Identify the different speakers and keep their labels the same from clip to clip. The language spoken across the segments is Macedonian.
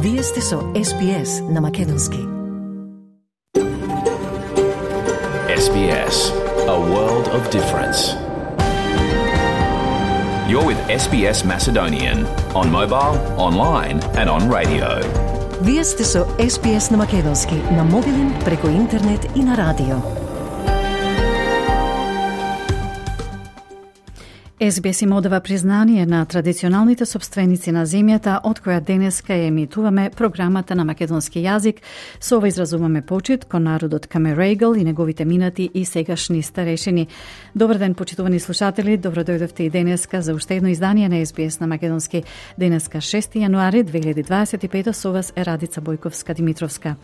Speaker 1: Вие сте со SBS на Македонски.
Speaker 2: SBS, a world of difference. You're with SBS Macedonian on mobile, online and on radio.
Speaker 1: Вие сте со SBS на Македонски на мобилен, преку интернет и на радио. SBS им одава признание на традиционалните собственици на земјата, од која денеска ја емитуваме програмата на македонски јазик. Со ова изразуваме почит кон народот Камерайгл и неговите минати и сегашни старешини. Добар ден, почитувани слушатели, добро дојдовте и денеска за уште едно издание на SBS на македонски. Денеска 6 јануари 2025, со вас е Радица Бојковска-Димитровска.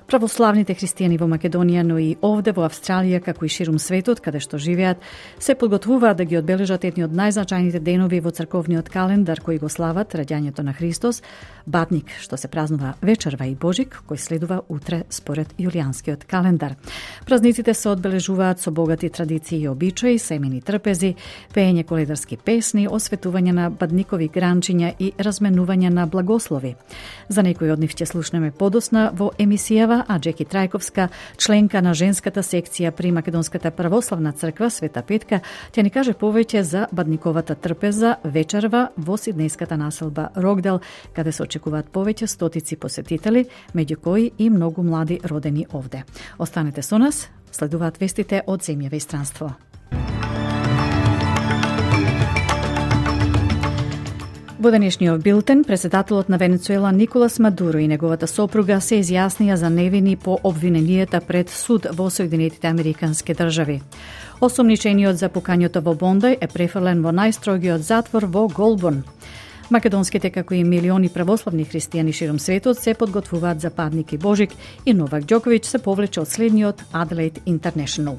Speaker 1: Православните христијани во Македонија, но и овде во Австралија, како и ширум светот, каде што живеат, се подготвуваат да ги одбележат едни од најзначајните денови во црковниот календар кои го слават раѓањето на Христос, Батник, што се празнува вечерва, и Божик, кој следува утре според јулијанскиот календар. Празниците се одбележуваат со богати традиции и обичаи, семени трпези, пеење коледарски песни, осветување на бадникови гранчиња и разменување на благослови. За некои од нив ќе слушнеме подосна во емисијава, а Джеки Трајковска, членка на женската секција при Македонската православна црква Света Петка, ќе ни каже повеќе за бадниковата трпеза вечерва во сиднејската населба Рокдел, каде се очекуваат повеќе стотици посетители, меѓу кои и многу млади родени овде. Останете со нас, следуваат вестите од земјава и странство. Во денешниот билтен, председателот на Венецуела Николас Мадуро и неговата сопруга се изјаснија за невини по обвиненијата пред суд во Соединетите Американски држави. Осомничениот за пукањето во Бондај е префрлен во најстрогиот затвор во Голбон. Македонските, како и милиони православни христијани широм светот, се подготвуваат за Падник и Божик и Новак Ѓоковиќ се повлече од следниот Adelaide International.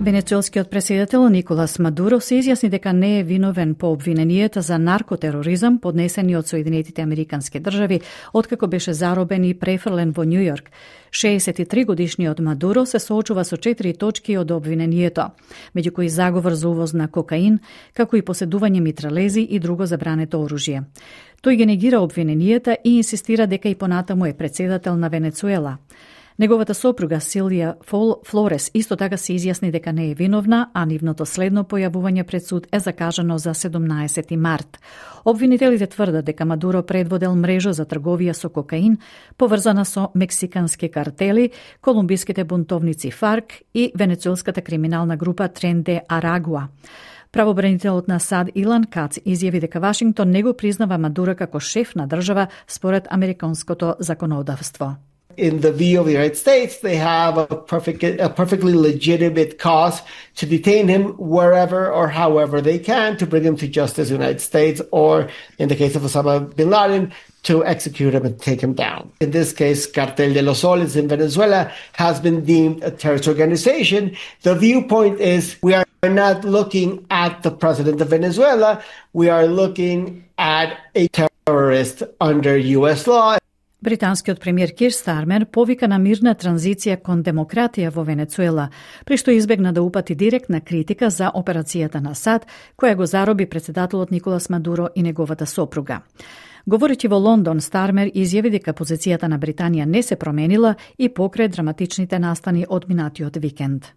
Speaker 1: Венецуелскиот претседател Николас Мадуро се изјасни дека не е виновен по обвиненијата за наркотероризам поднесени од Соединетите Американски држави, откако беше заробен и префрлен во Њу Јорк. 63 годишниот Мадуро се соочува со 4 точки од обвиненијето, меѓу кои заговор за увоз на кокаин, како и поседување митралези и друго забрането оружје. Тој ги негира обвиненијата и инсистира дека и понатаму е претседател на Венецуела. Неговата сопруга Силија Флорес исто така се изјасни дека не е виновна, а нивното следно појавување пред суд е закажано за 17 март. Обвинителите тврдат дека Мадуро предводел мрежа за трговија со кокаин, поврзана со мексикански картели, колумбиските бунтовници ФАРК и венецуелската криминална група Трен де Арагуа. Правобранителот на САД Илан Кац изјави дека Вашингтон не го признава Мадуро како шеф на држава според американското законодавство.
Speaker 3: In the view of the United States, they have a perfectly legitimate cause to detain him wherever or however they can to bring him to justice in the United States, or in the case of Osama bin Laden, to execute him and take him down. In this case, Cartel de los Soles in Venezuela has been deemed a terrorist organization. The viewpoint is we are not looking at the president of Venezuela, we are looking at a terrorist under US law.
Speaker 1: Британскиот премиер Кир Стармер повика на мирна транзиција кон демократија во Венецуела, при што избегна да упати директна критика за операцијата на САД, која го зароби председателот Николас Мадуро и неговата сопруга. Говорејќи во Лондон, Стармер изјави дека позицијата на Британија не се променила и покрај драматичните настани од минатиот викенд.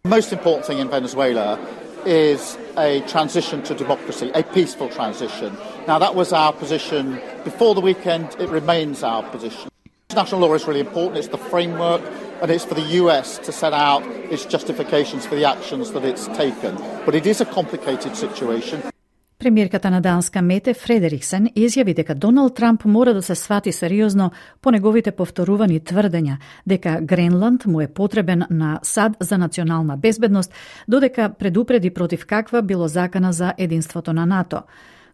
Speaker 4: Most important thing in Venezuela is a transition to democracy, a peaceful transition. Now, that was our position before the weekend. It remains our position. International law is really important. It's the framework, and it's for the US to set out its justifications for the actions that it's taken. But it is a complicated situation.
Speaker 1: Премиерката на Данска Мете Фредериксен изјави дека Доналд Трамп мора да се свати сериозно по неговите повторувани тврдења дека Гренланд му е потребен на САД за национална безбедност, додека предупреди против каква било закана за единството на НАТО.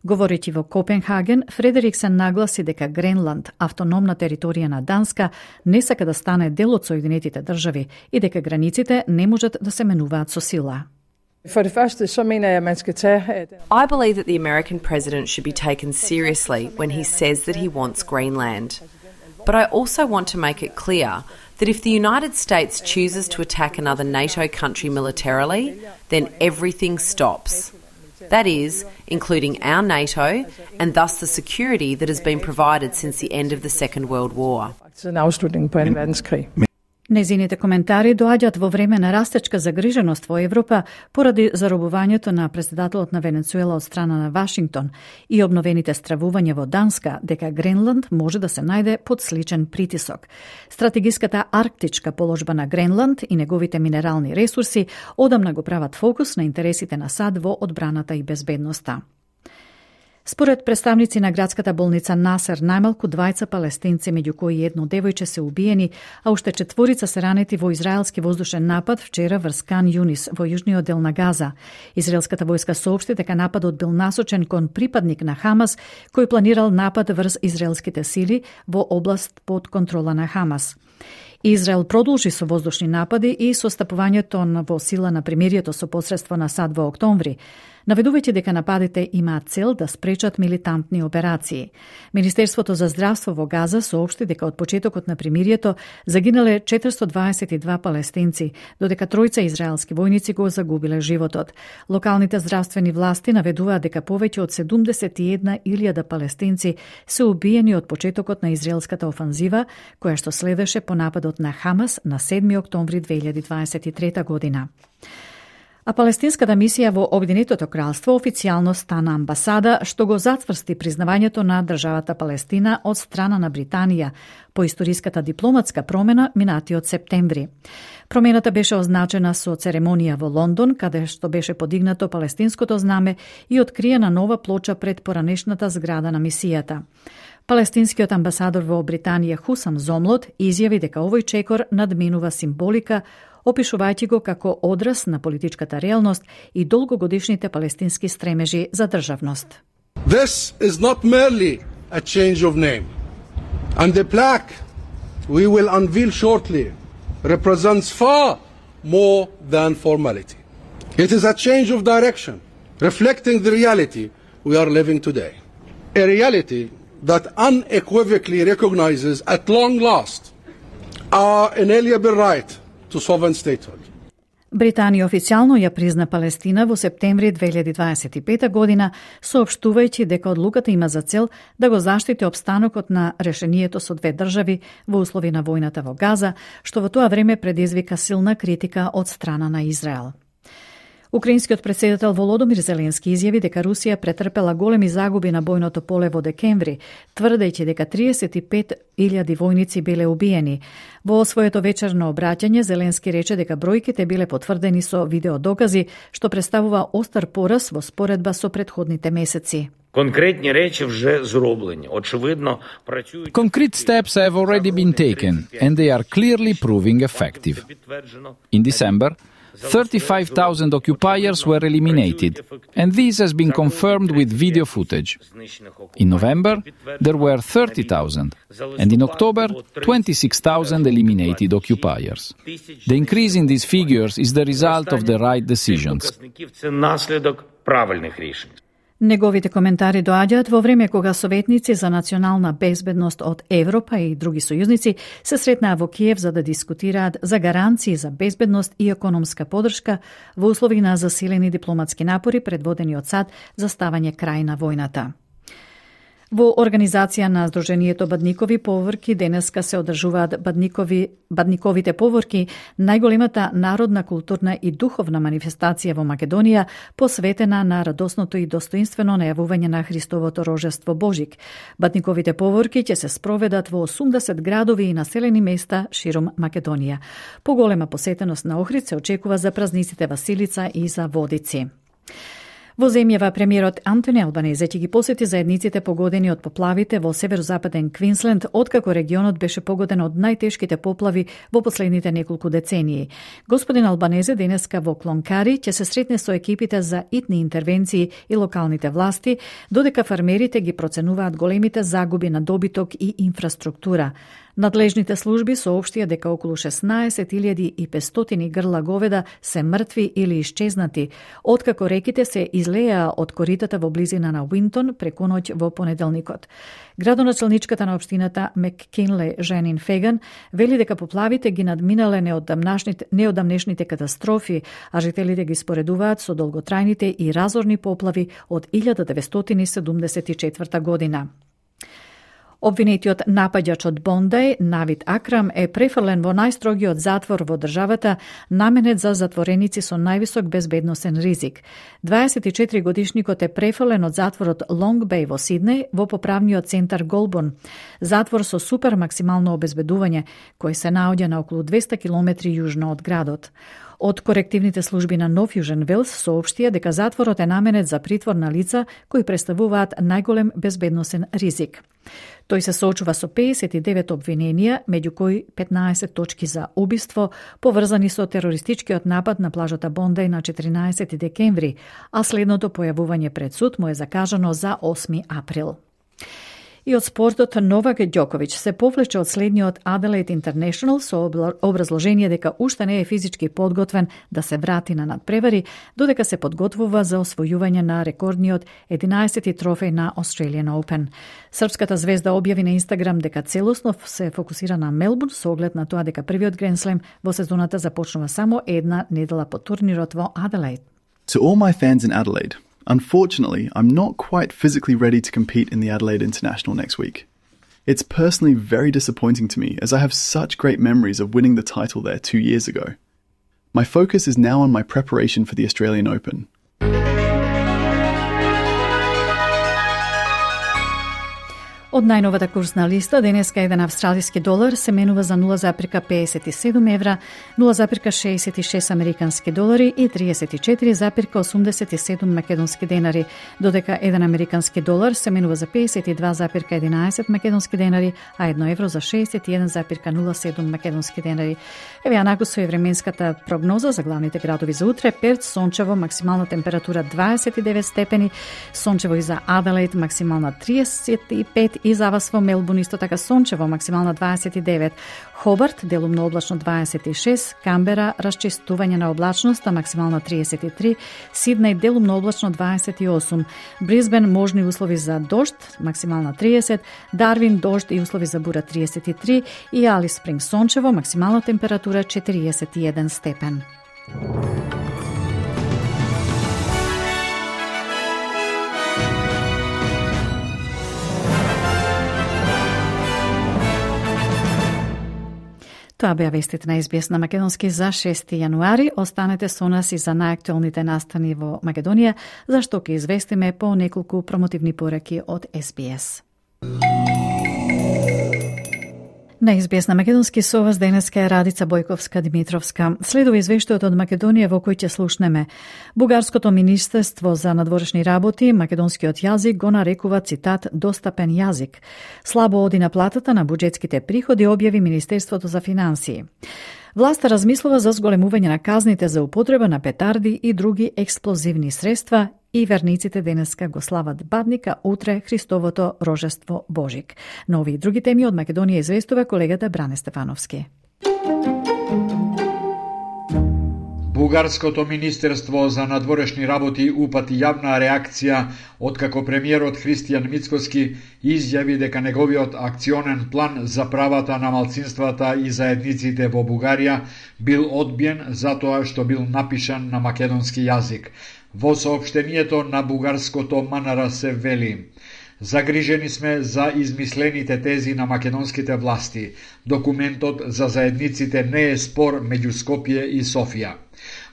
Speaker 1: Говорејќи во Копенхаген, Фредериксен нагласи дека Гренланд, автономна територија на Данска, не сака да стане дел од Соединетите држави и дека границите не можат да се менуваат со сила.
Speaker 5: For det første, så mener jeg, at man skal tage...
Speaker 6: I believe that the American president should be taken seriously when he says that he wants Greenland. But I also want to make it clear that if the United States chooses to attack another NATO country militarily, then everything stops. That is, including our NATO and thus the security that has been provided since the end of the Second World War.
Speaker 5: Siden afslutningen på 2. verdenskrig.
Speaker 1: Незините коментари доаѓаат во време на растечка загриженост во Европа поради заробувањето на претседателот на Венецуела од страна на Вашингтон и обновените стравувања во Данска дека Гренланд може да се најде под сличен притисок. Стратегиската арктичка положба на Гренланд и неговите минерални ресурси одамна го прават фокус на интересите на САД во одбраната и безбедноста. Според представници на градската болница Насер, најмалку 2 палестинци, меѓу кои едно девојче, се убиени, а уште 4 се ранети во израелски воздушен напад вчера врз Кан Юнис во јужниот дел на Газа. Израелската војска соопшти дека нападот бил насочен кон припадник на Хамас, кој планирал напад врз израелските сили во област под контрола на Хамас. Израел продолжи со воздушни напади и состапувањето во сила на примирието со посредство на САД во октомври, наведувајќи дека нападите имаат цел да спречат милитантни операции. Министерството за здравство во Газа соопшти дека од почетокот на примирието загинале 422 палестинци, додека 3 израелски војници го загубиле животот. Локалните здравствени власти наведуваат дека повеќе од 71.000 палестинци се убиени од почетокот на израелската офанзива, која што следеше по нападот на Хамас на 7 октомври 2023 година. А палестинската мисија во Обединетото кралство официјално стана амбасада, што го затврсти признавањето на државата Палестина од страна на Британија по историската дипломатска промена минатиот септември. Промената беше означена со церемонија во Лондон, каде што беше подигнато палестинското знаме и откриена нова плоча пред поранешната зграда на мисијата. Палестинскиот амбасадор во Британија Хусам Зомлот изјави дека овој чекор надминува символика, опишувајќи го како одраз на политичката реалност и долгогодишните палестински стремежи за државност.
Speaker 7: This is not merely a change of name. And the plaque we will unveil shortly represents far more than formality. It is a change of direction, reflecting the reality we are living today. A reality that unequivocally recognizes at long last our inalienable right to sovereign statehood.
Speaker 1: Британија официјално ја призна Палестина во септември 2025 година, соопштувајќи дека одлуката има за цел да го заштити опстанокот на решението со 2 држави во услови на војната во Газа, што во тоа време предизвика силна критика од страна на Израел. Украинскиот претседател Володомир Зеленски изјави дека Русија претрпела големи загуби на бојното поле во декември, тврдејќи дека 35.000 војници биле убиени. Во своето вечерно обраќање Зеленски рече дека бројките биле потврдени со видеодокази, што представува остар пораз во споредба со претходните месеци.
Speaker 8: Конкретни речи вже зроблені. Очевидно, працюють.
Speaker 9: Concrete steps have already been taken and they are clearly proving effective. In December, 35,000 occupiers were eliminated, and this has been confirmed with video footage. In November, there were 30,000, and in October, 26,000 eliminated occupiers. The increase in these figures is the result of the right decisions.
Speaker 8: Це наслідок правильних рішень.
Speaker 1: Неговите коментари доаѓаат во време кога советници за национална безбедност од Европа и други сојузници се сретнаа во Киев за да дискутираат за гаранции за безбедност и економска поддршка во услови на засилени дипломатски напори предводени од САД за ставање крај на војната. Во организација на Сдруженијето Бадникови поворки денеска се одржуваат Бадниковите поворки, најголемата народна, културна и духовна манифестација во Македонија, посветена на радосното и достоинствено најавување на Христовото рожество Божик. Бадниковите поворки ќе се спроведат во 80 градови и населени места широм Македонија. Поголема посетеност на Охрид се очекува за празниците Василица и за Водици. Во земјава премиерот Антони Албанезе ќе ги посети заедниците погодени од поплавите во северозападен Квинсленд, откако регионот беше погоден од најтешките поплави во последните неколку децении. Господин Албанезе денеска во Клонкари ќе се сретне со екипите за итни интервенции и локалните власти, додека фармерите ги проценуваат големите загуби на добиток и инфраструктура. Надлежните служби соопштија дека околу 16.500 грла говеда се мртви или исчезнати, откако реките се излеа од коритата во близина на Уинтон преку ноќ во понеделникот. Градоначалничката на општината Маккинле Жанин Феган вели дека поплавите ги надминале неодамнешните катастрофи, а жителите ги споредуваат со долготрајните и разорни поплави од 1974 година. Обвинетиот напаѓач од Бондај, Навид Акрам, е префрлен во најстрогиот затвор во државата, наменет за затвореници со највисок безбедносен ризик. 24-годишникот е префрлен од затворот Лонг Беј во Сиднеј во поправниот центар Голбон, затвор со супер максимално обезбедување, кој се наоѓа на околу 200 километри јужно од градот. Од корективните служби на Нов Јужен Велс соопштија дека затворот е наменет за притвор на лица кои представуваат најголем безбедносен ризик. Тој се соочува со 59 обвиненија, меѓу кои 15 точки за убиство, поврзани со терористичкиот напад на плажата Бондај на 14 декември, а следното појавување пред суд му е закажано за 8 април. И од спортот, Новак Ѓоковиќ се повлече од следниот Adelaide International со образложение дека уште не е физички подготвен да се врати на надпревари, додека се подготвува за освојување на рекордниот 11-ти трофеј на Australian Open. Српската звезда објави на Инстаграм дека целосно се фокусира на Мелбурн со оглед на тоа дека првиот Grand Slam во сезоната започнува само една недела по турнирот во Adelaide.
Speaker 10: To all my fans in Adelaide, unfortunately, I'm not quite physically ready to compete in the Adelaide International next week. It's personally very disappointing to me as I have such great memories of winning the title there 2 years ago. My focus is now on my preparation for the Australian Open.
Speaker 1: Од најновата курсна листа, денеска еден австралиски долар се менува за 0,57 евра, 0,66 американски долари и 34,87 македонски денари, додека еден американски долар се менува за 52,11 македонски денари, а 1 евро за 61,07 македонски денари. Еве анаку со временската прогноза за главните градови за утре: Перт сончево, максимална температура 29 степени, сончево и за Аделаид, максимална 35, и за вас во Мелбурн исто така сончево, максимална 29, Хобарт делумно облачно 26, Камбера расчистување на облачноста, максимална 33, Сиднеј делумно облачно 28, Брисбен можни услови за дожд, максимална 30, Дарвин дожд и услови за бура 33 и Алис Спринг сончево, максимална температура 41 степен. Тоа беа вестите на SBS на македонски за 6 јануари. Останете со нас и за најактуелните настани во Македонија, зашто ќе известиме по неколку промотивни пораки од SBS. На SBS на македонски со вас денеска е Радица Бојковска-Димитровска. Следува извештајот од Македонија во кој ќе слушнеме. Бугарското министерство за надворешни работи македонскиот јазик го нарекува, цитат, достапен јазик. Слабо оди на платата на буџетските приходи, објави Министерството за финансии. Власта размислува за зголемување на казните за употреба на петарди и други експлозивни средства и верниците денеска го слават Бадника, утре Христовото рожество Божик. На овие и други теми од Македонија известува колегата Бране Стефановски.
Speaker 11: Бугарското министерство за надворешни работи упати јавна реакција откако премиерот Христијан Мицкоски изјави дека неговиот акционен план за правата на малцинствата и заедниците во Бугарија бил одбиен затоа што бил напишан на македонски јазик. Во соопштението на бугарското МНР се вели: загрижени сме за измислените тези на македонските власти. Документот за заедниците не е спор меѓу Скопје и Софија.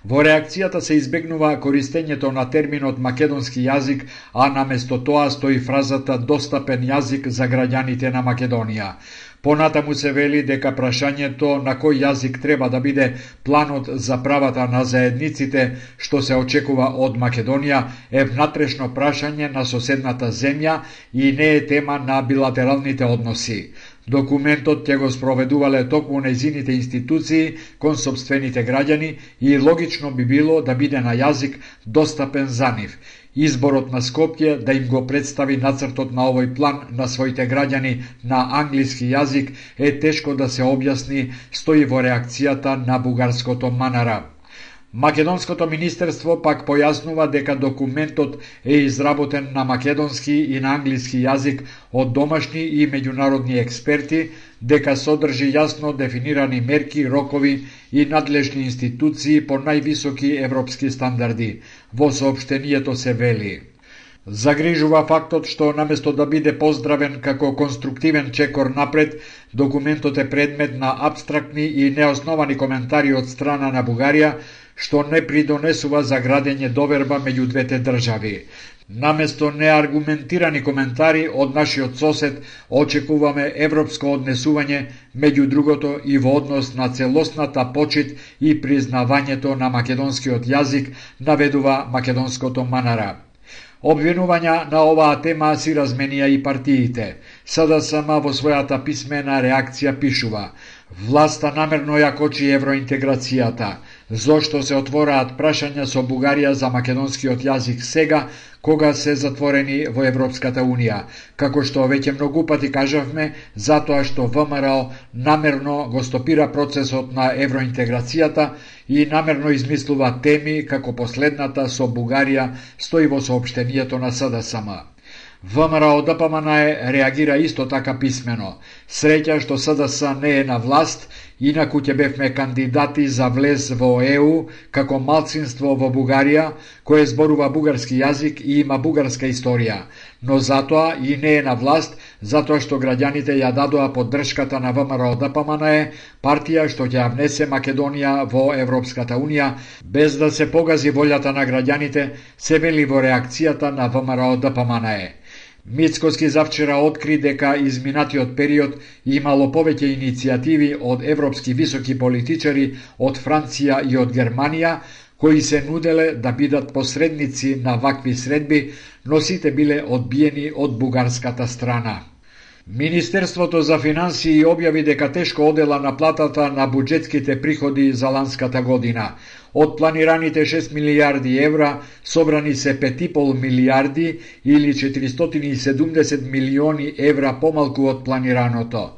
Speaker 11: Во реакцијата се избегнува користењето на терминот македонски јазик, а наместо тоа стои фразата достапен јазик за граѓаните на Македонија. Понатаму се вели дека прашањето на кој јазик треба да биде планот за правата на заедниците што се очекува од Македонија е внатрешно прашање на соседната земја и не е тема на билатералните односи. Документот ќе го спроведувале токму нејзините институции кон сопствените граѓани и логично би било да биде на јазик достапен за нив. изборот на Скопје да им го представи нацртот на овој план на своите граѓани на англиски јазик е тешко да се објасни, стои во реакцијата на бугарското Манара. Македонското министерство пак појаснува дека документот е изработен на македонски и на англиски јазик од домашни и меѓународни експерти, дека содржи јасно дефинирани мерки, рокови и надлежни институции по највисоки европски стандарди. Во соопштението се вели: загрижува фактот што наместо да биде поздравен како конструктивен чекор напред, документот е предмет на апстрактни и неосновани коментари од страна на Бугарија, што не придонесува за градење доверба меѓу двете држави. Наместо неаргументирани коментари од нашиот сосед, очекуваме европско однесување, меѓу другото и во однос на целосната почит и признавањето на македонскиот јазик, наведува македонското Манара. Обвинувања на оваа тема си разменија и партиите. СДСМ во својата писмена реакција пишува: власта намерно ја кочи евроинтеграцијата. Зошто се отвораат прашања со Бугарија за македонскиот јазик сега, кога се затворени во Европската Унија? Како што веќе многу пати кажавме, затоа што ВМРО намерно го стопира процесот на евроинтеграцијата и намерно измислува теми како последната со Бугарија, стои во соопштението на СДСМ. ВМРО ДПМН реагира исто така писмено. Среќа што СДС не е на власт, инаку ќе бевме кандидати за влез во ЕУ како малцинство во Бугарија, кое зборува бугарски јазик и има бугарска историја, но затоа и не е на власт, затоа што граѓаните ја дадоа поддршката на ВМРО ДПМН, партија што ќе ја внесе Македонија во Европската Унија, без да се погази волјата на граѓаните, се вели во реакцијата на ВМРО ДПМН. Мицкоски завчера откри дека изминатиот период имало повеќе иницијативи од европски високи политичари од Франција и од Германија, кои се нуделе да бидат посредници на вакви средби, но сите биле одбиени од бугарската страна. Министерството за финансии објави дека тешко одела наплатата на буџетските приходи за ланската година. Од планираните 6 милиарди евра собрани се 5,5 милиарди или 470 милиони евра помалку од планираното.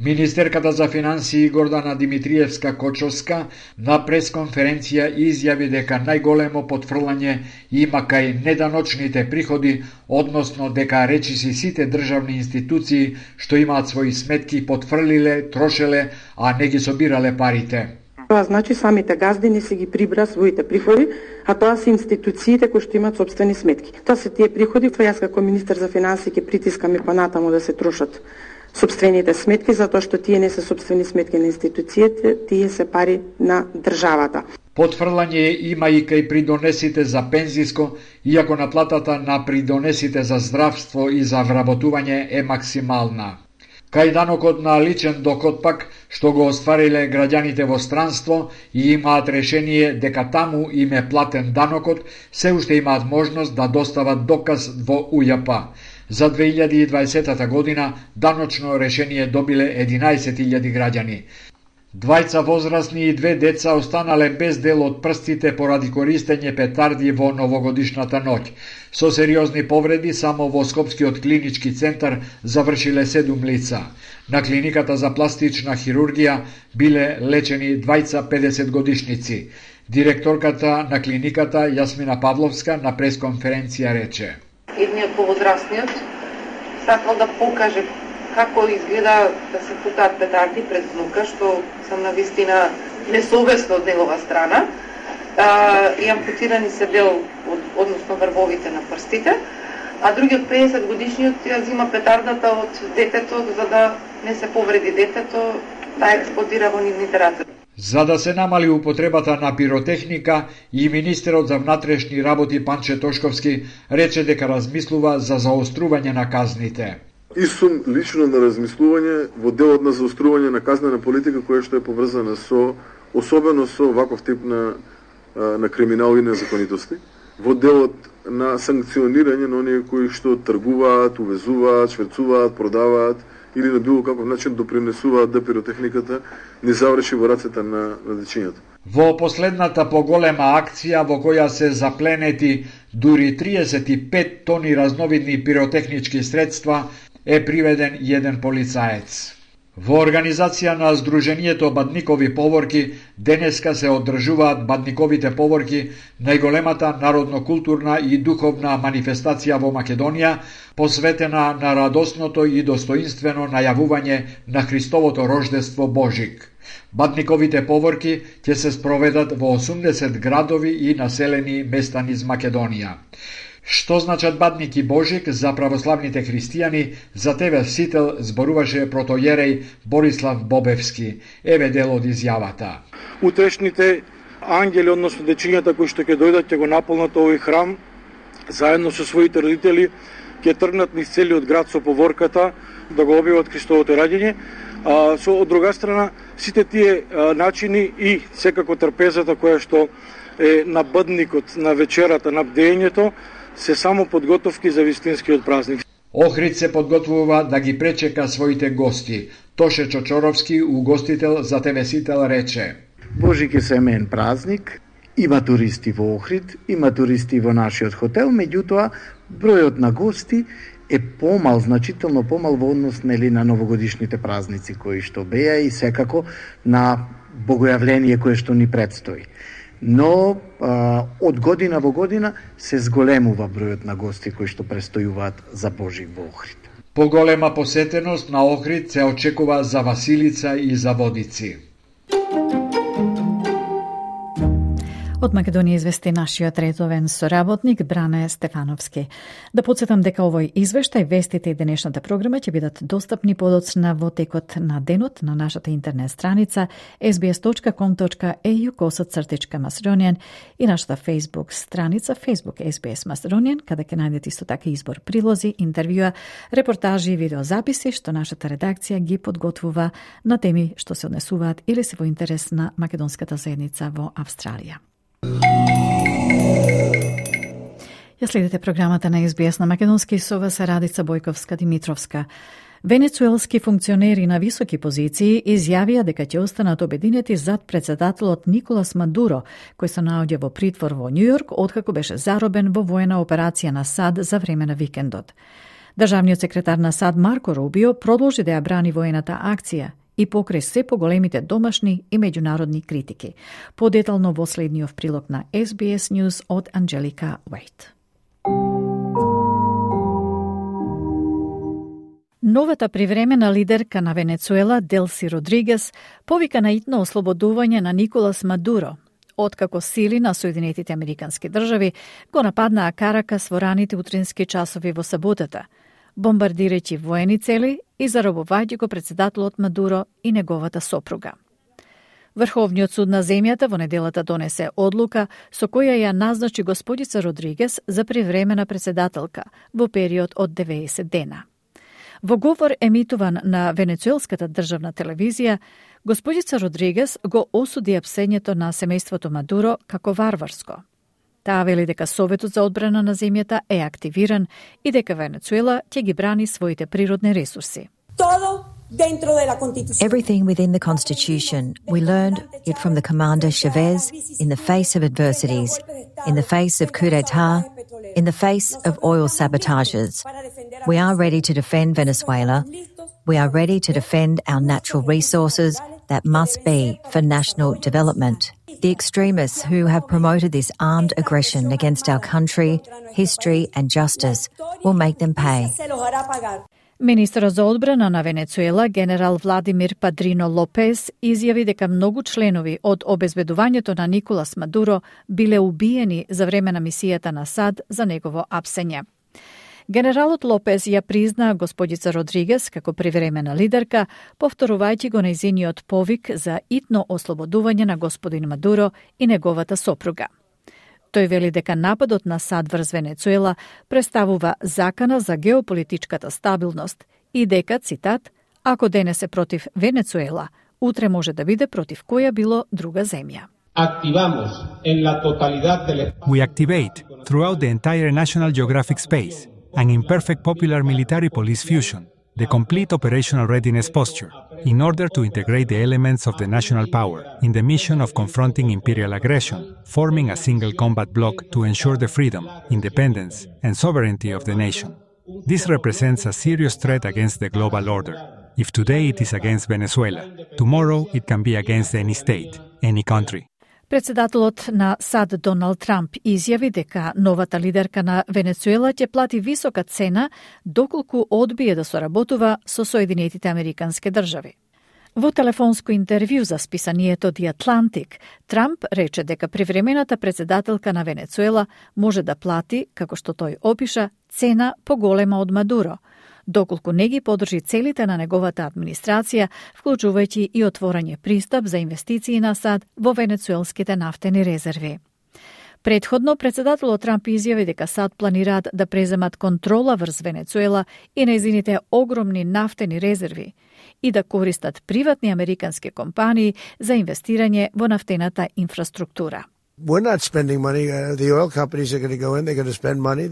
Speaker 11: Министерката за финансии Гордана Димитриевска-Кочовска на пресконференција изјави дека најголемо потфрлање има кај неданочните приходи, односно дека речиси сите државни институции што имаат своји сметки потфрлиле, трошеле, а не ги собирале парите.
Speaker 12: Тоа значи самите газдини си ги прибра своите приходи, а тоа се институциите кои што имаат сопствени сметки. Тоа се тие приходи, јас како министер за финансии ќе притискам и понатаму да се трошат сопствените сметки, затоа што тие не се сопствени сметки на институциите, тие се пари на државата.
Speaker 11: Потфрлање има и кај придонесите за пензиско, иако наплатата на придонесите за здравство и за вработување е максимална. Кај данокот на личен доход пак, што го оствариле граѓаните во странство и имаат решение дека таму им е платен данокот, се уште имаат можност да достават доказ во УЈП. За 2020 година даночно решение добиле 11.000 граѓани. Двајца возрастни и 2 деца останале без дел од прстите поради користење петарди во новогодишната ноќ. Со сериозни повреди само во Скопскиот клинички центар завршиле 7 лица. На клиниката за пластична хирургија биле лечени двајца 50 годишници. Директорката на клиниката Јасмина Павловска на пресконференција рече:
Speaker 13: едниот повозрастниот сакал да покаже како изгледа да се пукаат петарди пред внука, што сам навистина несовесно од негова страна. И ампутирани се дел, односно врвовите на прстите, а другиот 50 годишниот ја зима петардата од детето за да не се повреди детето, таа експлодира во нивните раце.
Speaker 11: За да се намали употребата на пиротехника, и министерот за внатрешни работи Панче Тошковски рече дека размислува за заострување на казните.
Speaker 14: И сум лично на размислување во делот на заострување на казнена политика која што е поврзана со, особено со ваков тип на криминал и незаконитости, во делот на санкционирање на оние кои што тргуваат, увезуваат, шверцуваат, продаваат или на било каков начин допринесуваат да пиротехниката не заврши во рацете на дечињата.
Speaker 11: Во последната поголема акција во која се запленети Дури 35 тони разновидни пиротехнички средства е приведен еден полицаец. Во организација на Сдруженијето Бадникови поворки денеска се одржуваат Бадниковите поворки, најголемата народно-културна и духовна манифестација во Македонија, посветена на радосното и достоинствено најавување на Христовото рождество Божик. Бадниковите поворки ќе се спроведат во 80 градови и населени места низ Македонија. Што значат Бадник и Божик за православните христијани, за ТВ Сител зборуваше протојереј Борислав Бобевски. Еве дел од изјавата.
Speaker 15: Утрешните ангели, односно дечињата кои што ќе дојдат, ќе го наполнат овој храм, заедно со своите родители, ќе тргнат низ целиот град со поворката да го објават Христовото раѓање. Од друга страна, сите тие начини и секако трпезата која што е на Бадникот, на вечерата, на бдењето, се само подготовки за вистинскиот празник.
Speaker 11: Охрид се подготвува да ги пречека своите гости. Тоше Чочоровски, угостител за ТВ Сител, рече:
Speaker 16: Божик е семеен празник, има туристи во Охрид, има туристи во нашиот хотел, меѓутоа бројот на гости е помал, значително помал во однос на новогодишните празници кои што беа и секако на богојавление кое што ни предстои. Но од година во година се зголемува бројот на гости кои што престојуваат за Божик во Охрид.
Speaker 11: Поголема посетеност на Охрид се очекува за Василица и за Водици.
Speaker 1: Од Македонија извести нашиот редовен соработник Бране Стефановски. Да подсетам дека овој извештај, вестите и денешната програма ќе бидат достапни подоцна во текот на денот на нашата интернет страница sbs.com.au/Macedonian и нашата Facebook страница Facebook SBS Macedonian, каде ќе најдете исто така избор прилози, интервјуа, репортажи и видеозаписи што нашата редакција ги подготвува на теми што се однесуваат или се во интерес на македонската заедница во Австралија. Ја следите програмата на SBS на македонски со вас Радица Бојковска-Димитровска. Венецуелски функционери на високи позиции изјавија дека ќе останат обединети зад председателот Николас Мадуро, кој се наоѓа во притвор во Њујорк откако беше заробен во воена операција на САД за време на викендот. Државниот секретар на САД Марко Рубио продолжи да ја брани воената акција и покрај се поголемите домашни и меѓународни критики. Подетално во следниот прилог на SBS News од Анджелика Уейт. Новата привремена лидерка на Венецуела, Делси Родригес, повика на итно ослободување на Николас Мадуро, откако сили на Соединетите Американски држави го нападнаа Каракас во раните утрински часови во саботата, бомбардирајќи воени цели и заробувајќи го председателот Мадуро и неговата сопруга. Врховниот суд на земјата во неделата донесе одлука со која ја назначи господица Родригес за привремена председателка во период од 90 дена. Во говор емитуван на Венецуелската државна телевизија, господица Родригес го осуди апсењето на семејството Мадуро како варварско. Таа вели дека Советот за одбрана на земјата е активиран и дека Венецуела ќе ги брани своите природни ресурси.
Speaker 17: Everything within the Constitution. We learned it from the Commander Chavez in the face of adversities, in the face of coup d'etat, in the face of oil sabotages. We are ready to defend Venezuela. We are ready to defend our natural resources that must be for national development. The extremists who have promoted this armed aggression against our country, history and justice will make them pay.
Speaker 1: Министерот за одбрана на Венецуела, генерал Владимир Падрино Лопес, изјави дека многу членови од обезбедувањето на Николас Мадуро биле убиени за време на мисијата на САД за негово апсење. Генералот Лопес ја призна господица Родригес како привремена лидерка, повторувајќи го нејзиниот повик за итно ослободување на господин Мадуро и неговата сопруга. Тој вели дека нападот на САД врз Венецуела представува закана за геополитичката стабилност и дека, цитат, ако денес е против Венецуела, утре може да биде против која било друга земја.
Speaker 18: We activate throughout the entire National Geographic space an imperfect popular military police fusion the complete operational readiness posture, in order to integrate the elements of the national power in the mission of confronting imperial aggression, forming a single combat bloc to ensure the freedom, independence, and sovereignty of the nation. This represents a serious threat against the global order. If today it is against Venezuela, tomorrow it can be against any state, any country.
Speaker 1: Председателот на САД Доналд Трамп изјави дека новата лидерка на Венецуела ќе плати висока цена доколку одбие да соработува со Соединетите Американски држави. Во телефонско интервју за списанието The Atlantic, Трамп рече дека привремената председателка на Венецуела може да плати, како што тој опиша, цена поголема од Мадуро, доколку не ги подржи целите на неговата администрација, вклучувајќи и отворање пристап за инвестиции на САД во венецуелските нафтени резерви. Предходно, председателот Трамп изјави дека САД планираат да преземат контрола врз Венецуела и нејзините огромни нафтени резерви и да користат приватни американски компании за инвестирање во нафтената инфраструктура.
Speaker 19: We're not spending money. The oil companies are going to go in. They're going to spend money.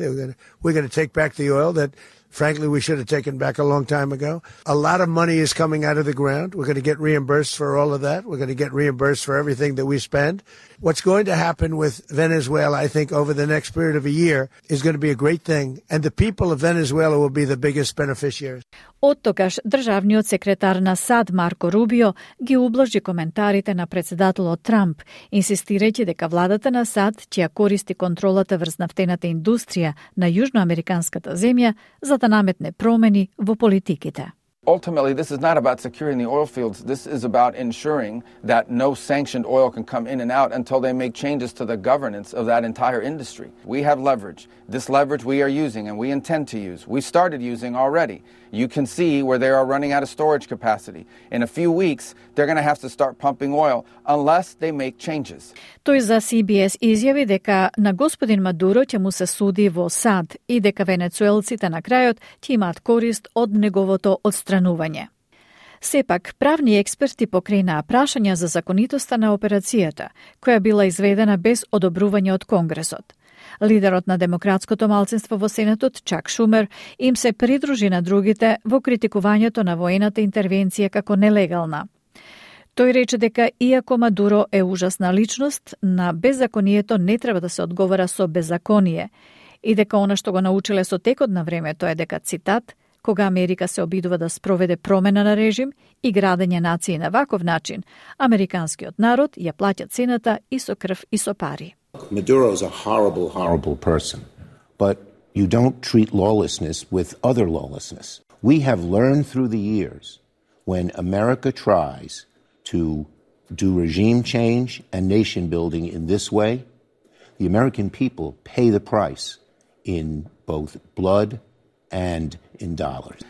Speaker 19: We're going to take back the oil that, frankly, we should have taken back a long time ago. A lot of money is coming out of the ground. We're going to get reimbursed for all of that. We're going to get reimbursed for everything that we spend. What's going to happen with Venezuela, I think, over the next period of a year is going to be a great thing. And the people of Venezuela will be the biggest beneficiaries.
Speaker 1: Оттогаш државниот секретар на САД Марко Рубио ги ублажи коментарите на председателот Трамп, инсистирајќи дека владата на САД ќе користи контролата врз нафтената индустрија на јужноамериканската земја за да наметне промени во политиките.
Speaker 20: Ultimately, this is not about securing the oil fields. This is about ensuring that no sanctioned oil can come in and out until they make changes to the governance of that entire industry. We have leverage. This leverage we are using and we intend to use. We started using already. You can see where they are running out of storage capacity. In a few weeks, they're going to have to start pumping oil unless they make changes.
Speaker 1: Тој за CBS изјави дека на господин Мадуро ќе му се суди во САД и дека венецуелците на крајот ќе имаат корист од неговото одстранување. Сепак, правни експерти покренаа прашања за законитоста на операцијата, која била изведена без одобрување од Конгресот. Лидерот на демократското малцинство во Сенатот, Чак Шумер, им се придружи на другите во критикувањето на воената интервенција како нелегална. Тој рече дека иако Мадуро е ужасна личност, на беззаконието не треба да се одговара со беззаконие и дека она што го научиле со текот на времето е дека, цитат, кога Америка се обидува да спроведе промена на режим и градење нации на ваков начин, американскиот народ ја плаќа цената и со крв и со пари.
Speaker 21: Maduro is a horrible, horrible person, but you don't treat lawlessness with other lawlessness. We have learned through the years when America tries to do regime change and nation building in this way, the American people pay the price in both blood and in dollars.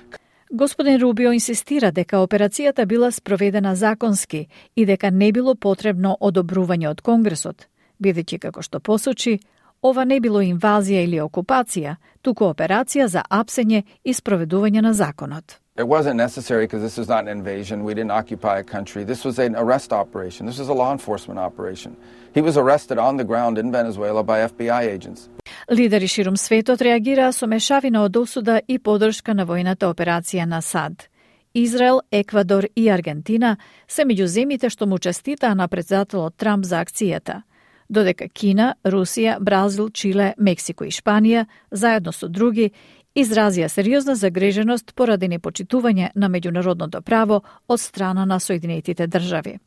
Speaker 1: Господин Рубио инсистира дека операцијата била спроведена законски и дека не било потребно одобрување од Конгресот, бидејќи, како што посочи, ова не било инвазија или окупација, туку операција за апсење и спроведување на законот.
Speaker 20: It wasn't necessary because this was not an invasion. We didn't occupy a country. This was an arrest operation. This was a law enforcement operation. He was arrested on the ground in Venezuela by FBI agents.
Speaker 1: Лидери ширум светот реагираа со мешавина од осуда и поддршка на војната операција на САД. Израел, Еквадор и Аргентина се меѓу земјите што му честитаа на председателот Трамп за акцијата, додека Кина, Русија, Бразил, Чиле, Мексико и Шпанија, заедно со други, изразија сериозна загриженост поради непочитување на меѓународното право од страна на Соединетите држави.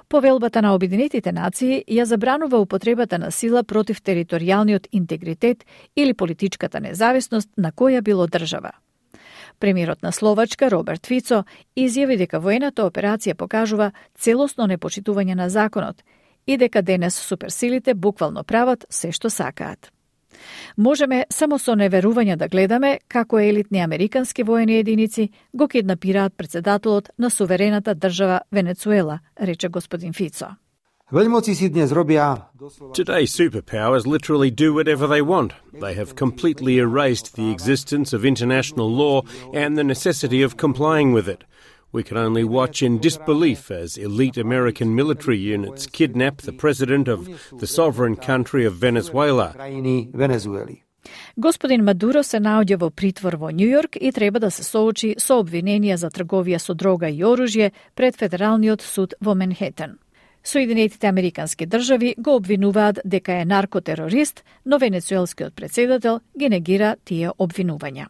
Speaker 1: Повелбата на Обединетите нации ја забранува употребата на сила против територијалниот интегритет или политичката независност на која било држава. Премиерот на Словачка, Роберт Фицо, изјави дека воената операција покажува целосно непочитување на законот и дека денес суперсилите буквално прават се што сакаат. Можеме само со неверување да гледаме како елитни американски воени единици го киднапираат председателот на суверената држава Венецуела, рече господин Фицо.
Speaker 22: Today, superpowers literally do whatever they want. They have completely erased the existence of international law and the necessity of complying with it. We can only watch in disbelief as elite American military units kidnap the president of the sovereign country of Venezuela.
Speaker 1: Господин Мадуро се наоѓа во притвор во Њујорк и треба да се соочи со обвиненија за трговија со дрога и оружје пред Федералниот суд во Манхетен. Соединетите американски држави го обвинуваат дека е наркотерорист, но венецуелскиот претседател ги негира тие обвинувања.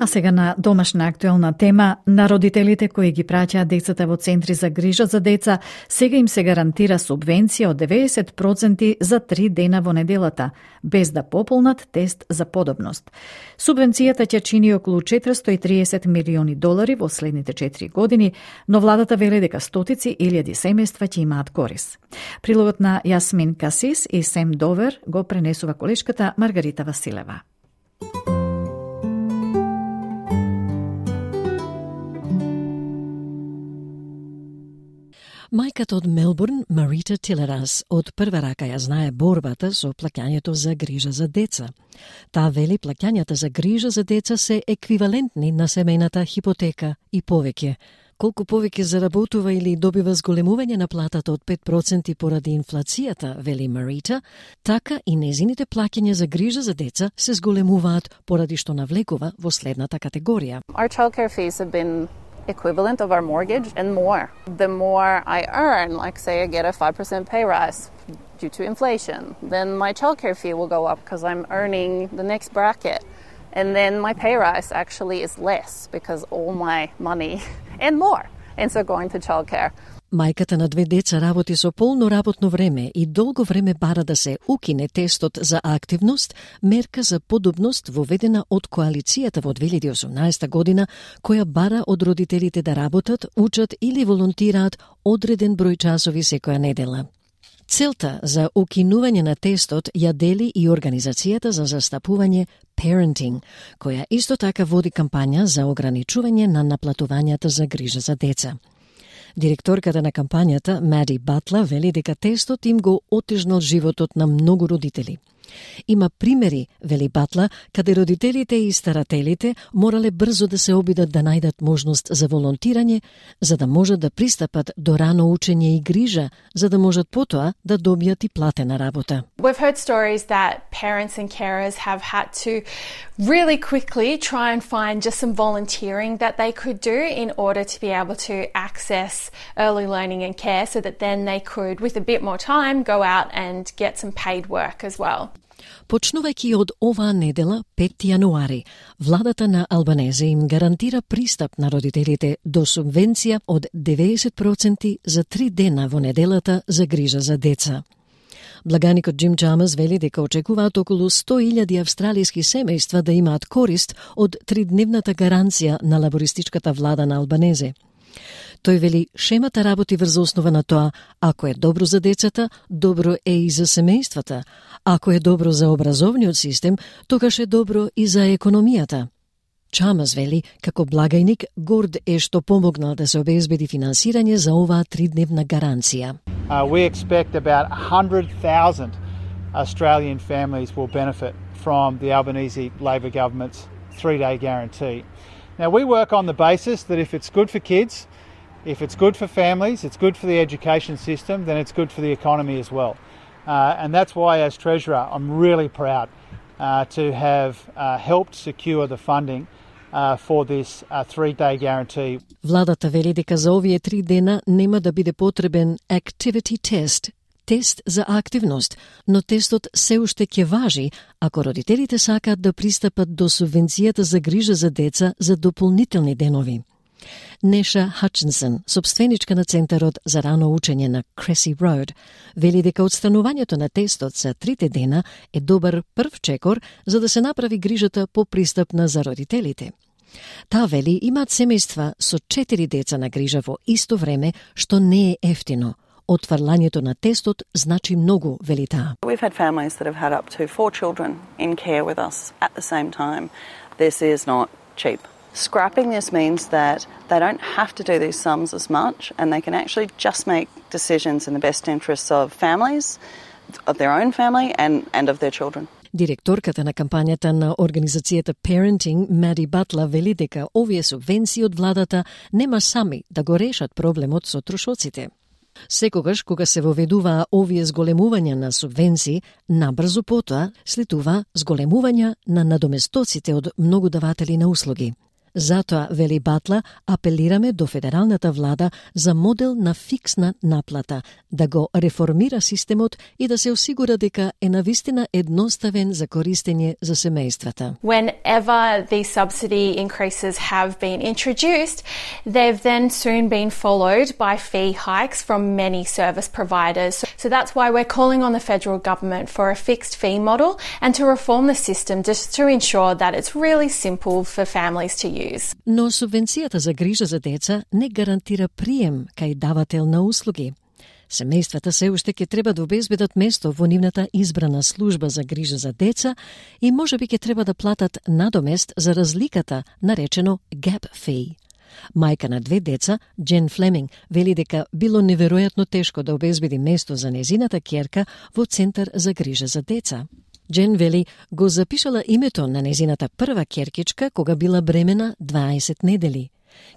Speaker 1: А сега на домашна актуелна тема, на родителите кои ги праќаат децата во центри за грижа за деца, сега им се гарантира субвенција од 90% за 3 дена во неделата, без да пополнат тест за подобност. Субвенцијата ќе чини околу $430 милиони во следните 4 години, но владата веле дека стотици илјади семејства ќе имаат корис. Прилогот на Јасмин Касис и Сем Довер го пренесува колешката Маргарита Василева.
Speaker 2: Мајката од Мелбурн, Марита Тилерас, од прва рака ја знае борбата со плаќањето за грижа за деца. Таа вели плаќањата за грижа за деца се еквивалентни на семејната хипотека и повеќе. Колку повеќе заработува или добива зголемување на платата од 5% поради инфлацијата, вели Марита, така и незините плаќања за грижа за деца се зголемуваат поради што навлекува во следната категорија.
Speaker 3: Our childcare fees have been equivalent of our mortgage and more. The more I earn, like say I get a 5% pay rise due to inflation, then my childcare fee will go up because I'm earning the next bracket. And then my pay rise actually is less because all my money and more ends up going to childcare.
Speaker 2: Мајката на 2 деца работи со полно работно време и долго време бара да се укине тестот за активност, мерка за подобност воведена од коалицијата во 2018 година, која бара од родителите да работат, учат или волонтираат одреден број часови секоја недела. Целта за укинување на тестот ја дели и Организацијата за застапување Parenting, која исто така води кампања за ограничување на наплатувањата за грижа за деца. Директорката на кампањата, Мади Батла, вели дека тестот им го отежнал животот на многу родители. Има примери, вели Батла, каде родителите и старателите морале брзо да се обидат да најдат можност за волонтирање, за да можат да пристапат до рано учење и грижа, за да можат потоа да добијат и платена работа.
Speaker 23: We've heard stories that parents and carers have had to really quickly try and find just some volunteering that they could do in order to be able to access early learning and care so that then they could, with a bit more time, go out and get some paid work as well.
Speaker 2: Почнувајќи од оваа недела, 5 јануари, владата на Албанезе им гарантира пристап на родителите до субвенција од 90% за 3 дена во неделата за грижа за деца. Благаникот Джим Чамас вели дека очекуваат околу 100.000 австралиски семејства да имаат корист од 3-дневната гаранција на лабористичката влада на Албанезе. Тој вели, шемата работи врз основа на тоа, ако е добро за децата, добро е и за семејствата. Ако е добро за образовниот систем, тогаш е добро и за економијата. Чамас вели, како благајник, горд е што помогнал да се обезбеди финансирање за оваа 3-дневна гаранција.
Speaker 24: We expect about 100,000 Australian families will benefit from the Albanese Labor government's 3-day guarantee. Now, we work on the basis that if it's good for kids, if it's good for families, it's good for the education system, then it's good for the economy as well. And that's why, as Treasurer, I'm really proud to have helped secure the funding for this 3-day guarantee.
Speaker 2: Владата вели дека за овие 3 дена нема да биде потребен activity test, тест за активност, но тестот се уште ќе важи ако родителите сакаат да пристапат до субвенцијата за грижа за деца за дополнителни денови. Неша Хатчинсон, собственичка на Центарот за рано учење на Cressy Road, вели дека отстранувањето на тестот за 3 дена е добар прв чекор за да се направи грижата попристапна за родителите. Таа вели имаат семејства со 4 деца на грижа во исто време, што не е ефтино. Отфрлањето на тестот значи многу, вели таа.
Speaker 25: We've had families that have had up to 4 children in care with us at the same time. This is not cheap. Scrapping this means that they don't have to do these sums as much and they can actually just make decisions in the best interests of families, of their own family and of their children.
Speaker 2: Директорката на кампањата на Организацијата Parenting, Мади Батла, вели дека овие субвенции од владата нема сами да го решат проблемот со трошоците. Секогаш кога се воведуваа овие зголемувања на субвенции, набрзо потоа следува зголемување на надоместоците од многу даватели на услуги. Затоа, вели Батла, апелираме до федералната влада за модел на фиксна наплата, да го реформира системот и да се осигура дека е навистина едноставен за користење за семејствата.
Speaker 23: Whenever these subsidy increases have been introduced, they've then soon been followed by fee hikes from many service providers. So that's why we're calling on the federal government for a fixed fee model and to reform the system just to ensure that it's really simple for families to use.
Speaker 2: Но субвенцијата за грижа за деца не гарантира прием кај давател на услуги. Семејствата се уште ќе треба да обезбедат место во нивната избрана служба за грижа за деца и можеби ќе треба да платат надомест за разликата, наречено gap fee. Мајка на 2 деца, Джен Флеминг, вели дека било неверојатно тешко да обезбеди место за незината ќерка во центар за грижа за деца. Джен вели го запишала името на незината прва ќеркичка кога била бремена 20 недели.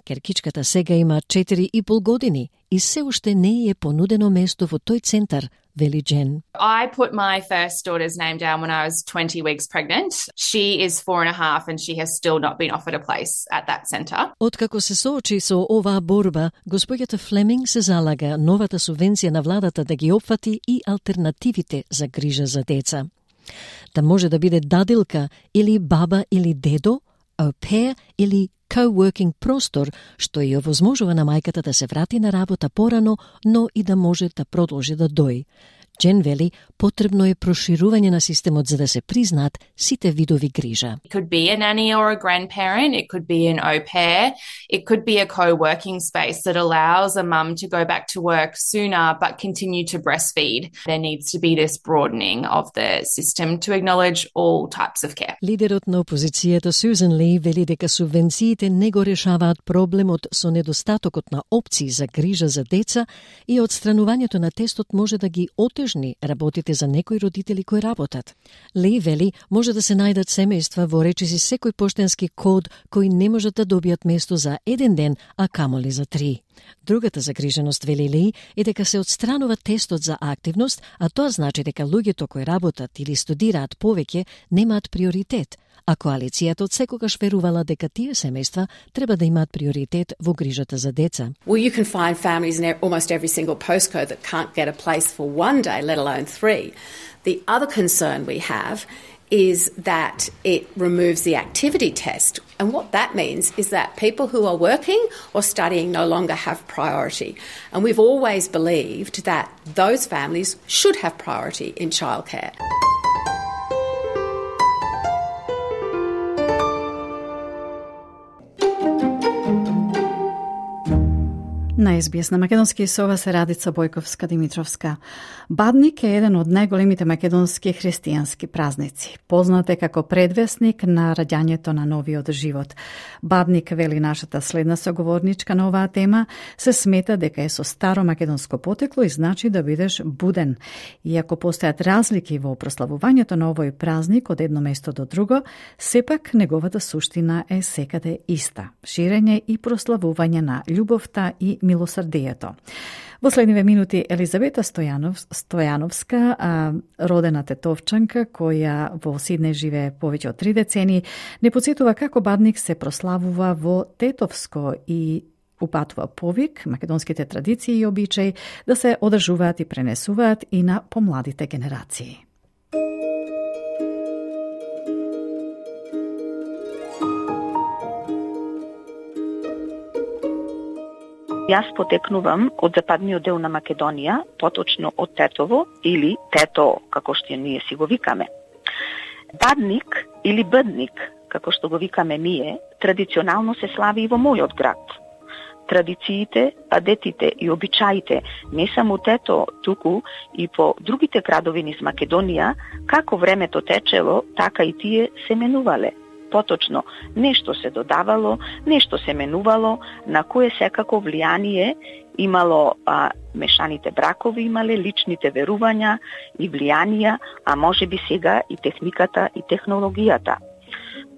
Speaker 2: Ќеркичката сега има 4,5 години и се уште не е понудено место во тој центар, вели Джен.
Speaker 4: I put my first daughter's name down when I was 20 weeks pregnant. She is 4.5 and she has still not been offered a place at that centre.
Speaker 2: Откако се соочи со оваа борба, господјата Флеминг се залага новата субвенција на владата да ги опфати и алтернативите за грижа за деца. Да може да биде дадилка или баба или дедо, au pair или co-working простор, што ја овозможува на мајката да се врати на работа порано, но и да може да продолжи да дои. Джен вели, потребно е проширување на системот за да се признаат сите видови грижа.
Speaker 4: It could be a nanny or a grandparent, it could be an au pair, it could be a co-working space that allows a mum to go back to work sooner but continue to breastfeed. There needs to be this broadening of the system to acknowledge all types of care.
Speaker 2: Лидерот на опозицијата Сюзан Ли вели дека субвенциите не го решаваат проблемот со недостатокот на опции за грижа за деца и отстранувањето на тестот може да ги отежни работите за некои родители кои работат. Ли вели, може да се најдат семејства во речиси секој поштенски код кои не можат да добијат место за 1 ден, а камоли за 3. Другата загриженост, вели Ли, е дека се отстранува тестот за активност, а тоа значи дека луѓето кои работат или студираат повеќе немаат приоритет, а коалицијата од секогаш верувала дека тие семејства треба да имаат приоритет во грижата за деца.
Speaker 5: Well, you can find families in almost every single postcode that can't get a place for 1 day, let alone 3. The other concern we have is that it removes the activity test. And what that means is that people who are working or studying no longer have priority. And we've always believed that those families should have priority in childcare.
Speaker 1: На СБС на македонски со ова се Радица Бојковска-Димитровска. Бадник е еден од најголемите македонски христијански празници. Познат е како предвесник на раѓањето на новиот живот. Бадник, вели нашата следна соговорничка на оваа тема, се смета дека е со старо македонско потекло и значи да бидеш буден. Иако постојат разлики во прославувањето на овој празник од едно место до друго, сепак неговата суштина е секаде иста. Ширење и прославување на љубовта и милосрдието. Во следниве минути Елизавета Стојановска, родена тетовчанка која во Сиднеј живее повеќе од 3 децени, не потсетува како Бадник се прославува во тетовско и упатува повик македонските традиции и обичаи да се одржуваат и пренесуваат и на помладите генерации.
Speaker 6: Јас потекнувам од западниот дел на Македонија, поточно од Тетово или Тето, како што ние си го викаме. Бадник или Бъдник, како што го викаме ние, традиционално се слави и во мојот град. Традициите, адетите и обичаите не само Тето, туку и по другите градови низ Македонија, како времето течело, така и тие се менувале. Поточно, нешто се додавало, нешто се менувало, на кое секако влијание имало мешаните бракови, имале личните верувања и влијанија, а може би сега и техниката и технологијата.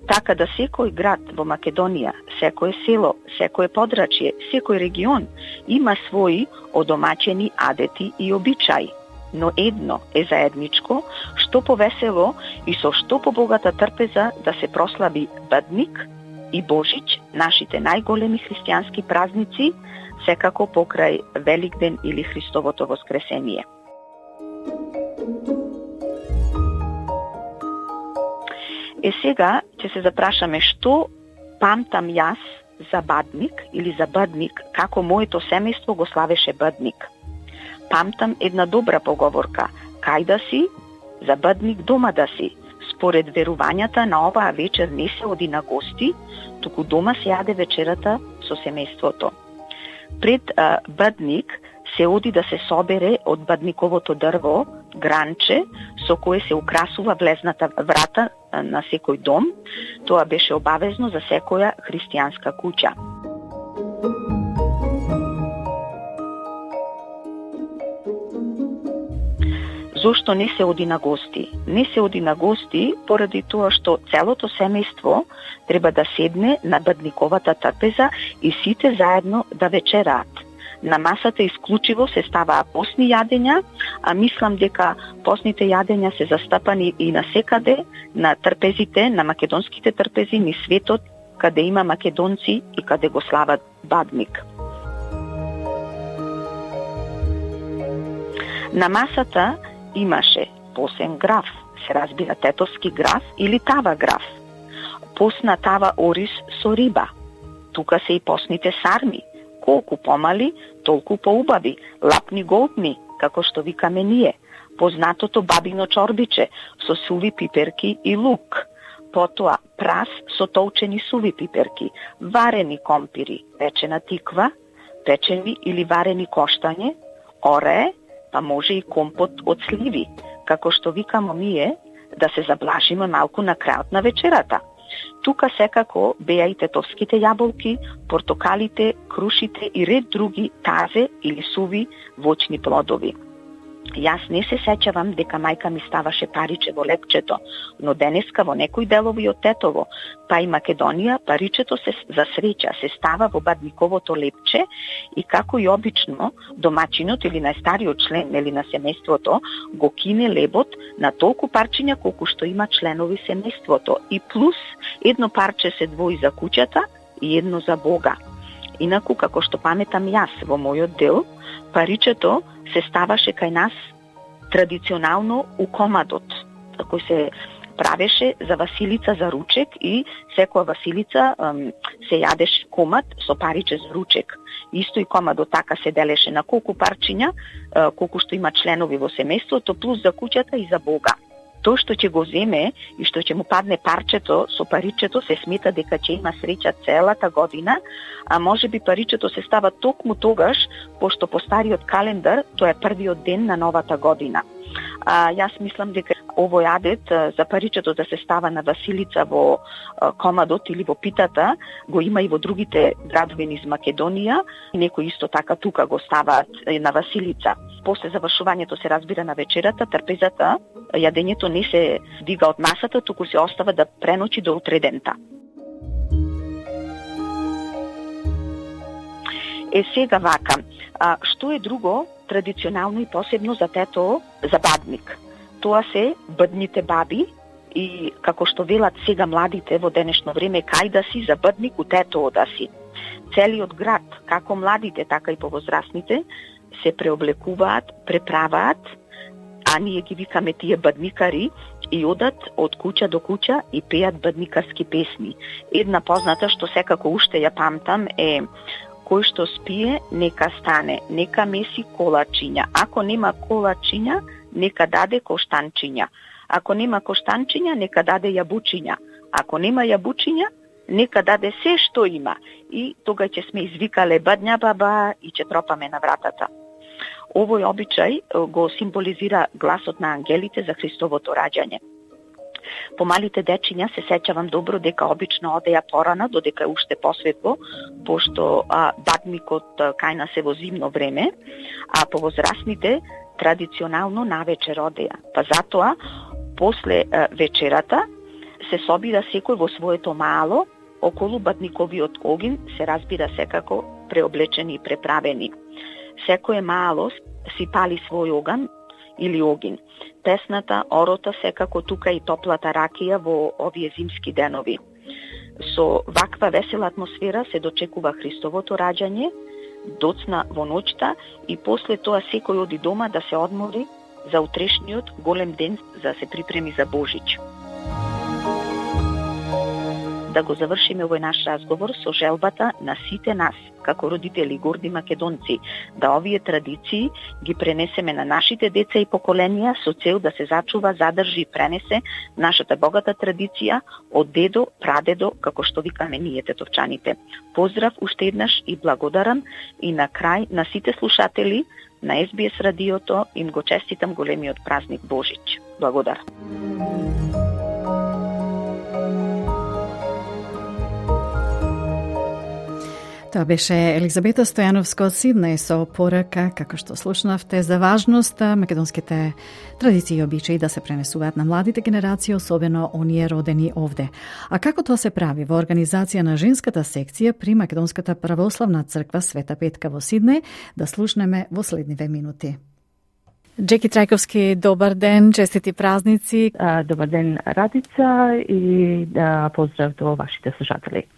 Speaker 6: така да секој град во Македонија, секое село, секое подрачје, секој регион има своји одомачени адети и обичаи. Но едно е заедничко, што повесело и со што побогата трпеза да се прослави Бадник и Божич, нашите најголеми христијански празници, секако покрај Великден или Христовото воскресение. Сега ќе се запрашаме што памтам јас за Бадник или за Бадник, како моето семејство го славеше Бадник. Памтам една добра поговорка: кај да си, за Бадник дома да си. Според верувањата на оваа вечер не се оди на гости, туку дома се јаде вечерата со семејството. Пред Бадник се оди да се собере од бадниковото дрво гранче со кое се украсува влезната врата на секој дом. Тоа беше обавезно за секоја христијанска куќа. Зошто не се оди на гости? Не се оди на гости поради тоа што целото семејство треба да седне на бадниковата трпеза и сите заедно да вечераат. На масата исклучиво се ставаа постни јадења, а мислам дека постните јадења се застапани и насекаде на трпезите, на македонските трпези низ светот, каде има македонци и каде го слават Бадник. На масата имаше посен граф, се разбира тетовски граф или тава граф. Постна тава ориз со риба. Тука се и постните сарми. Колку помали, толку поубави, лапни голтни, како што викаме ние. Познатото бабино чорбиче со суви пиперки и лук. Потоа прас со толчени суви пиперки, варени компири, печена тиква, печени или варени коштање, орее, па може и компот од сливи, како што викамо ние, да се заблажиме малку на крајот на вечерата. Тука секако беа и тетовските јаболки, портокалите, крушите и ред други тазе или суви воќни плодови. Јас не се сеќавам дека мајка ми ставаше париче во лепчето, но денеска во некои делови од Тетово, па и Македонија, паричето се за среќа се става во бадниковото лепче и како и обично домачинот или најстариот член или на семејството го кине лебот на толку парчиња колку што има членови семејството и плюс едно парче се двои за куќата и едно за Бога. Инаку, како што паметам јас во мојот дел, паричето се ставаше кај нас традиционално у комадот, кој се правеше за Василица за ручек и секоја Василица се јадеше комад со париче за ручек. Исто и комадот така се делеше на колку парчиња, колку што има членови во семејството, плюс за куќата и за Бога. Тоа што ќе го земе и што ќе му падне парчето со паричето се смета дека ќе има среќа целата година, а може би паричето се става токму тогаш, пошто по стариот календар тоа е првиот ден на новата година. Јас мислам дека овој адет за паричето да се става на Василица во комадот или во питата го има и во другите градови низ Македонија, некои исто така тука го ставаат на Василица. После завршувањето се разбира на вечерата, трпезата, јадењето не се дига од масата, туку се остава да преночи до утредента. Сега вака, што е друго традиционално и посебно за Тетово, за Бадник? Тоа се бадните баби и, како што велат сега младите во денешно време, кај да си за Бадник у Тетово да си. Целиот град, како младите, така и повозрастните, се преоблекуваат, преправаат, а ние ги викаме тие бадникари и одат од куќа до куќа и пеат бадникарски песни. Една позната што секако уште ја памтам е: кој што спие, нека стане, нека меси колачиња. Ако нема колачиња, нека даде коштанчиња. Ако нема коштанчиња, нека даде јабучиња. Ако нема јабучиња, нека даде се што има. И тога ќе сме извикале бадња баба и ќе тропаме на вратата. Овој обичај го символизира гласот на ангелите за Христовото раѓање. Помалите дечиња се сеќавам добро дека обично одеја порано, додека е уште посветло, пошто Бадникот кај нас е во зимно време, а повозрастните традиционално навечер одеја. Па затоа, после вечерата, се собира секој во своето мало, околу бадниковиот огин, се разбира секако преоблечени и преправени. Секое мало си пали свој оган или огин. Песната, орота, секако тука и топлата ракија во овие зимски денови. Со ваква весела атмосфера се дочекува Христовото раѓање, доцна во ноќта и после тоа секој оди дома да се одмори за утрешниот голем ден, за да се припреми за Божич. Да го завршиме овој наш разговор со желбата на сите нас, како родители горди македонци, да овие традиции ги пренесеме на нашите деца и поколенија со цел да се зачува, задржи и пренесе нашата богата традиција од дедо, прадедо, како што викаме ние тетовчаните. Поздрав уште еднаш и благодарам и на крај на сите слушатели на SBS радиото им го честитам големиот празник Божич. Благодарам.
Speaker 1: Тоа беше Елизабета Стојановска од Сиднеј со порака, како што слушнавте, за важност македонските традиции и обичаи да се пренесуваат на младите генерации, особено оние родени овде. А како тоа се прави во организација на женската секција при Македонската православна црква Света Петка во Сиднеј, да слушнеме во следниве минути. Джеки Трајковски, добар ден, честити празници.
Speaker 7: Добар ден, Радица, и поздрав до вашите слушатели.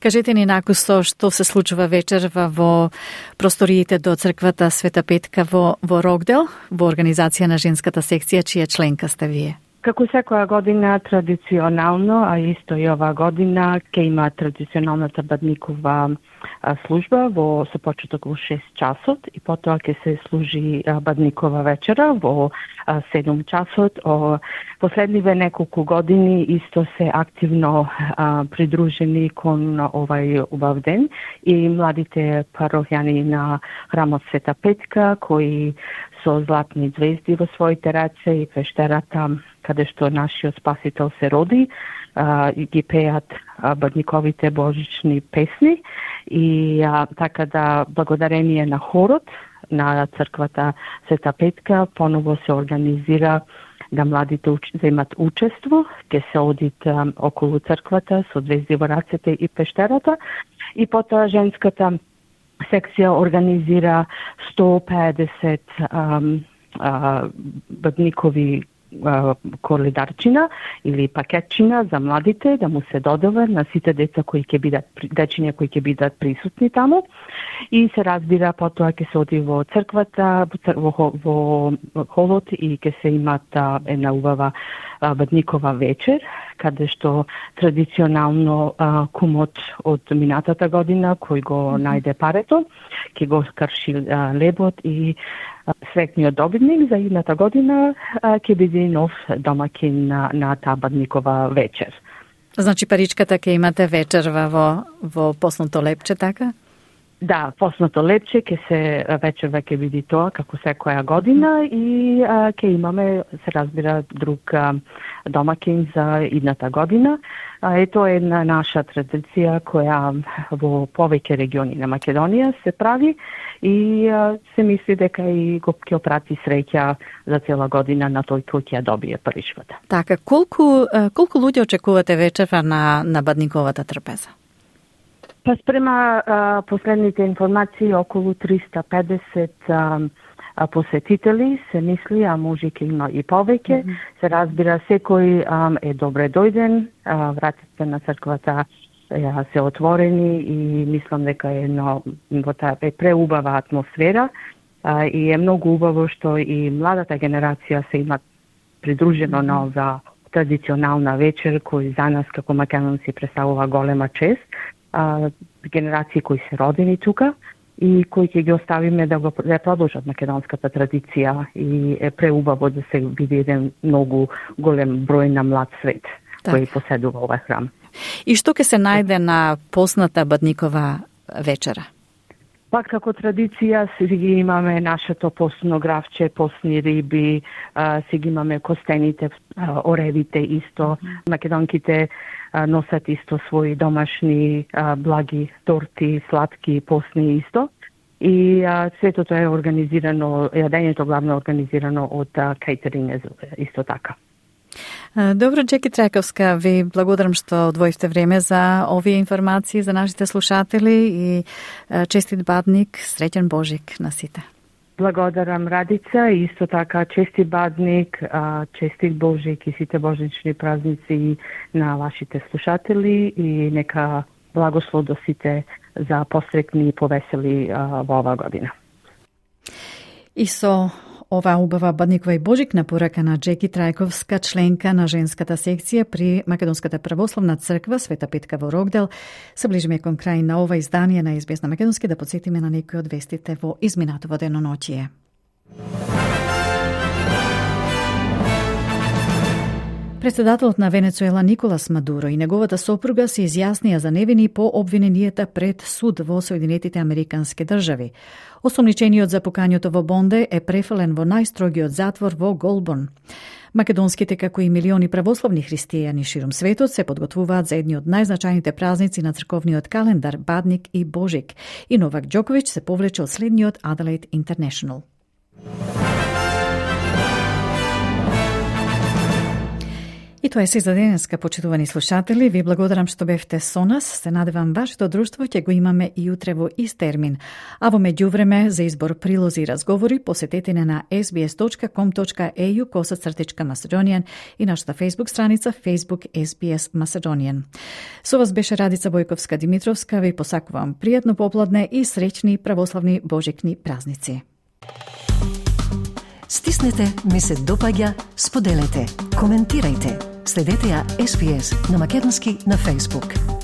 Speaker 1: Кажете ни накусо што се случува вечерва во просториите до црквата Света Петка во Рокдел, во организација на женската секција, чија членка сте вие?
Speaker 7: Како секоја година традиционално, а исто и оваа година, ќе има традиционалната бадникова служба со почеток во 6 часот и потоа ќе се служи бадникова вечера во 7 часот. Последниве неколку години исто се активно придружени кон овај убав ден и младите парохјани на храмот Света Петка, кои со златни звезди во своите раце и пештерата каде што нашиот Спасител се роди, ги пеат бадниковите божични песни и така да благодарение на хорот на црквата Света Петка поново се организира да младите земат учество, ќе се одит околу црквата со звезди во рацете и пештерата и потоа женската секција организира 150 бадникови коледарчина или пакетчина за младите да му се додава на сите деца кои ќе бидат дечиња кои ќе бидат присутни таму и се разбира потоа ќе се оди во црквата во холот и ќе се имат една убава бадникова вечер каде што традиционално кумот од минатата година кој го најде парето ќе го скрши лебот и среќниот добитник за идната година ќе биде нов домакин на таа бадникова вечер.
Speaker 1: Значи паричката ќе имате вечерва во посното лепче, така?
Speaker 7: Да, посното лепче вечерва ќе биде тоа како секоја година и ќе имаме, се разбира, друг домакин за идната година. Ето една наша традиција која во повеќе региони на Македонија се прави и се мисли дека и го ќе опрати среќа за цела година на тој кој ќе ја добие паричката.
Speaker 1: Така, колку луѓе очекувате вечерва на бадниковата трпеза?
Speaker 7: Па спрема последните информации околу 350 посетители се мисли, а може ќе има и повеќе. Се разбира, секој е добре дојден, вратите на црквата се отворени и мислам дека е преубава атмосфера и е многу убаво што и младата генерација се има придружено на оваа традиционална вечер кој за нас како македонци представува голема чест. Генерации кои се родени тука и кои ќе ги оставиме да продолжат македонската традиција и е преубаво да се биде еден многу голем број на млад свет кој поседува овој храм.
Speaker 1: И што ќе се најде на посната бадникова вечера?
Speaker 7: Пак како традиција си ги имаме нашето постно гравче, постни риби, си ги имаме костените, оревите исто. Македонките носат исто своји домашни благи, торти, сладки, постни исто. И светото е организирано, јадењето главно организирано од кейтеринг исто така.
Speaker 1: Добро, Джеки Трајковска, ви благодарам што одвоивте време за овие информации за нашите слушатели и честит бадник, среќен Божик на сите.
Speaker 7: Благодарам, Радица, и исто така честит бадник, честит Божик и сите божични празници на вашите слушатели и нека благослов до сите за посрекни и повесели во оваа година.
Speaker 1: И со оваа убава бадникова и Божик на порака на Джеки Трајковска, членка на женската секција при Македонската православна црква Света Петка во Рогдел, се ближиме кон крај на ова издание на СБС на Македонски, да подсетиме на некои од вестите во изминатово деноноќие. Председателот на Венецуела Николас Мадуро и неговата сопруга се изјаснија за невини по обвиненијата пред суд во Соединетите Американски држави. Осомничениот за пукањето во Бонде е префален во најстрогиот затвор во Голбон. Македонските, како и милиони православни христијани широм светот, се подготвуваат за едни од најзначајните празници на црковниот календар Бадник и Божик. И Новак Џоковиќ се повлече од следниот Adelaide International. И тоа е се за денеска, почитувани слушатели. Ви благодарам што бевте со нас. Се надевам вашето друштво ќе го имаме и утре во ист термин. А во меѓувреме за избор прилози и разговори посетете на sbs.com.au/Macedonian и нашата Facebook страница Facebook SBS Macedonian. Со вас беше Радица Бојковска-Димитровска. Ви посакувам пријатно попладне и среќни православни божикни празници.
Speaker 2: Стиснете, ми се допаѓа, споделете, коментирајте. Следете ја SBS на Македонски на Facebook.